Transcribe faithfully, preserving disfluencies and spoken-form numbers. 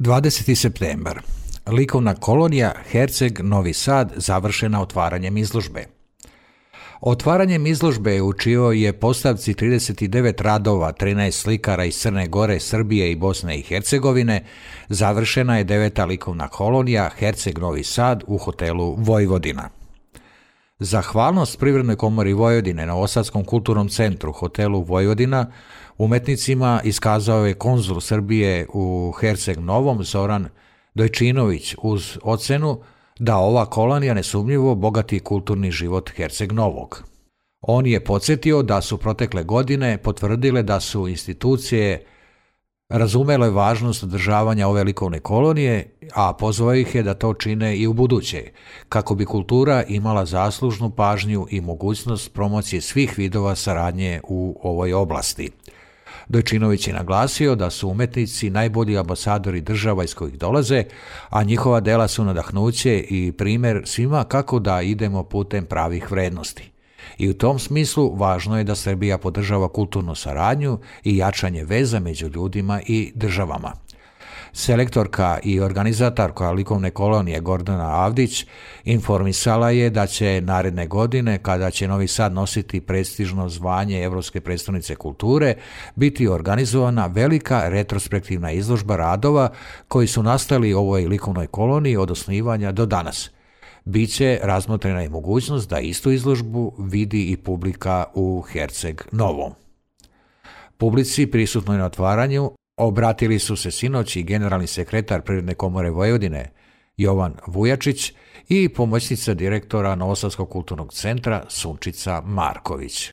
dvadeseti septembar. Likovna kolonija Herceg Novi Sad završena otvaranjem izložbe. Otvaranjem izložbe u čijoj je postavci trideset devet radova, trinaest slikara iz Crne Gore, Srbije i Bosne i Hercegovine, završena je deveta likovna kolonija Herceg Novi Sad u hotelu Vojvodina. Zahvalnost Privrednoj komori Vojvodine, Novosadskom kulturnom centru, hotelu Vojvodina, umetnicima iskazao je konzul Srbije u Herceg Novom Zoran Dojčinović uz ocenu da ova kolonija nesumnjivo bogati kulturni život Herceg Novog. On je podsjetio da su protekle godine potvrdile da su institucije razumele važnost održavanja ove likovne kolonije, a pozvao ih je da to čine i u buduće, kako bi kultura imala zaslužnu pažnju i mogućnost promocije svih vidova saradnje u ovoj oblasti. Dojčinović je naglasio da su umetnici najbolji ambasadori država iz kojih dolaze, a njihova dela su nadahnuće i primjer svima kako da idemo putem pravih vrednosti. I u tom smislu važno je da Srbija podržava kulturnu saradnju i jačanje veza među ljudima i državama. Selektorka i organizatorka likovne kolonije Gordana Avdić informisala je da će naredne godine, kada će Novi Sad nositi prestižno zvanje Evropske predstavnice kulture, biti organizovana velika retrospektivna izložba radova koji su nastali u ovoj likovnoj koloniji od osnivanja do danas. Biće razmotrena i mogućnost da istu izložbu vidi i publika u Herceg Novom. Publici prisutnoj na otvaranju obratili su se sinoć i generalni sekretar Privredne komore Vojvodine Jovan Vujačić i pomoćnica direktora Novosadskog kulturnog centra Sunčica Marković.